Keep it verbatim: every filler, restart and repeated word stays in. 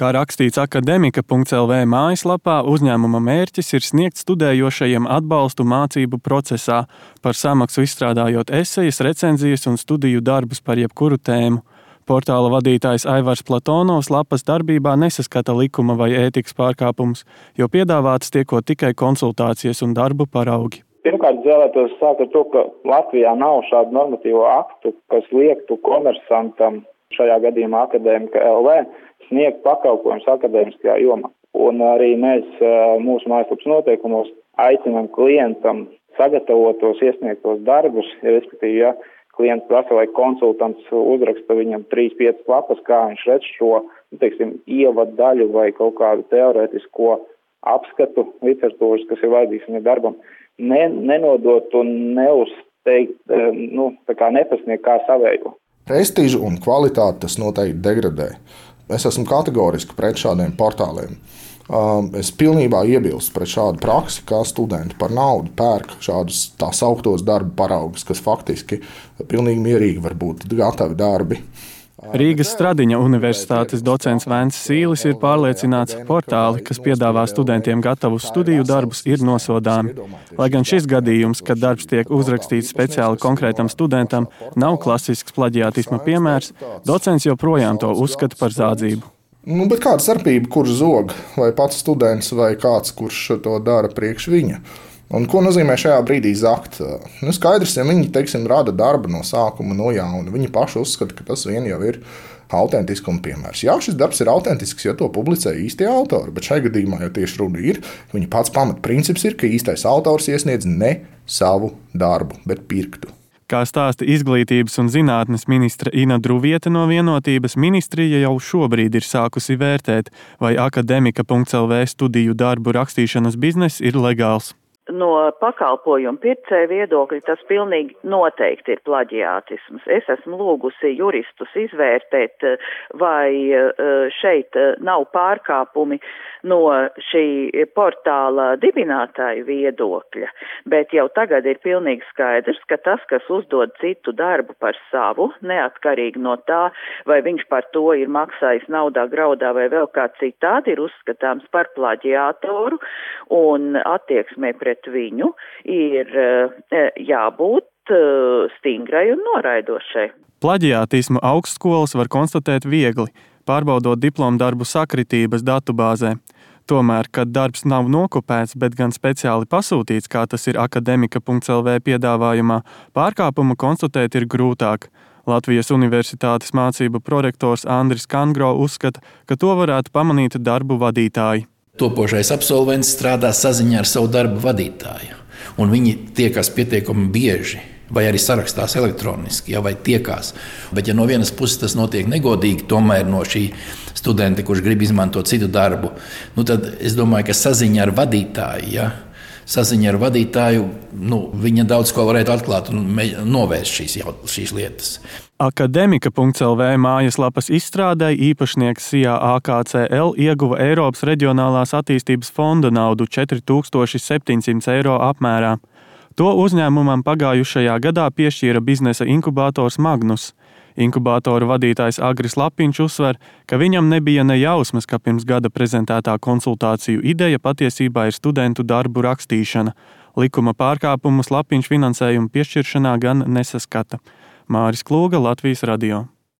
Kā rakstīts akademika punkts el vē mājaslapā, uzņēmuma mērķis ir sniegt studējošajiem atbalstu mācību procesā, par samaksu izstrādājot esejas, recenzijas un studiju darbus par jebkuru tēmu. Portāla vadītājs Aivars Platonovs lapas darbībā nesaskata likuma vai ētikas pārkāpumus, jo piedāvātas tiekot tikai konsultācijas un darbu paraugi. Pirmkārt, vēlētos sākt ar to, ka Latvijā nav šādu normatīvo aktu, kas liektu komersantam, šajā gadījumā akademika punkts el vē, sniegt pakalpojumus akadēmiskajā jomā. Un arī mēs mūsu mājaslapas noteikumos aicinām klientam sagatavot tos iesniegtos darbus, respektīvi, ja klients prasa, lai konsultants uzraksta viņam trīs piecas lapas, kā viņš redz šo, nu, teiksim, ievadu daļu vai kaut kādu teorētisko apskatu literatūras, kas ir vajadzīgs viņa darbam, ne, nenodot un neuzteikt, nu, tā kā nepasniegt kā savējo. Prestīžu un kvalitāti tas noteikti degradē. Es esmu kategoriski pret šādiem portāliem. Es pilnībā iebilstu pret šādu praksi, kā studenti par naudu pērk šādus tā sauktos darba paraugus, kas faktiski pilnīgi mierīgi var būt gatavi darbi. Rīgas Stradiņa universitātes docents Vēns Sīlis ir pārliecināts, ka portāli, kas piedāvā studentiem gatavus studiju darbus, ir nosodāmi. Lai gan šis gadījums, kad darbs tiek uzrakstīts speciāli konkrētam studentam, nav klasisks plaģiātisma piemērs, docents joprojām to uzskata par zādzību. Nu, bet kāda starpība, kurš zog, vai pats students, vai kāds, kurš to dara priekš viņa? Un ko nozīmē šajā brīdī zakt? Nu, skaidrs, ja viņi, teiksim, rada darbu no sākuma no jauna, viņi paši uzskata, ka tas vien jau ir autentiskuma piemērs. Jā, šis darbs ir autentisks, jo to publicē īstie autori, bet šajā gadījumā jau tieši runa ir, viņa pats pamatprincips ir, ka īstais autors iesniedz ne savu darbu, bet pirktu. Kā stāsta izglītības un zinātnes ministre Ina Druviete no Vienotības, ministrija jau šobrīd ir sākusi vērtēt, vai akademika punkts el vē studiju darbu rakstīšanas bizness ir legāls. No pakalpojumu pircēju viedokļa tas pilnīgi noteikti ir plaģiātisms. Es esmu lūgusi juristus izvērtēt, vai šeit nav pārkāpumi no šī portāla dibinātāju viedokļa, bet jau tagad ir pilnīgi skaidrs, ka tas, kas uzdod citu darbu par savu, neatkarīgi no tā, vai viņš par to ir maksājis naudā, graudā vai vēl kā citādi, ir uzskatāms par plaģiātoru un attieksmē pret viņu ir jābūt stingrai un noraidošai. Plaģiātismu augstskolas var konstatēt viegli, pārbaudot diplomdarbu sakritības datubāzē. Tomēr, kad darbs nav nokopēts, bet gan speciāli pasūtīts, kā tas ir akademika punkts el vē piedāvājumā, pārkāpumu konstatēt ir grūtāk. Latvijas Universitātes mācību prorektors Andris Kangro uzskata, ka to varētu pamanīt darbu vadītāji. Topošais absolvents strādā saziņā ar savu darbu vadītāju, un viņi tiekas pietiekami bieži, vai arī sarakstās elektroniski, ja, vai tiekās. Bet ja no vienas puses tas notiek negodīgi, tomēr no šī studenta, kurš grib izmantot citu darbu, nu tad es domāju, ka saziņa ar vadītāju, ja, saziņa ar vadītāju, nu, viņa daudz ko varētu atklāt un novērst šīs, jau, šīs lietas. Akademika punkts el vē mājaslapas izstrādai īpašnieks SIA A K C L ieguva Eiropas Reģionālās attīstības fonda naudu četri tūkstoši septiņsimt eiro apmērā. To uzņēmumam pagājušajā gadā piešķīra biznesa inkubātors Magnus. Inkubātoru vadītājs Agris Lapiņš uzsver, ka viņam nebija ne jausmas, ka pirms gada prezentētā konsultāciju ideja patiesībā ir studentu darbu rakstīšana. Likuma pārkāpumus Lapiņš finansējumu piešķiršanā gan nesaskata. Māris Klūga, Latvijas radio.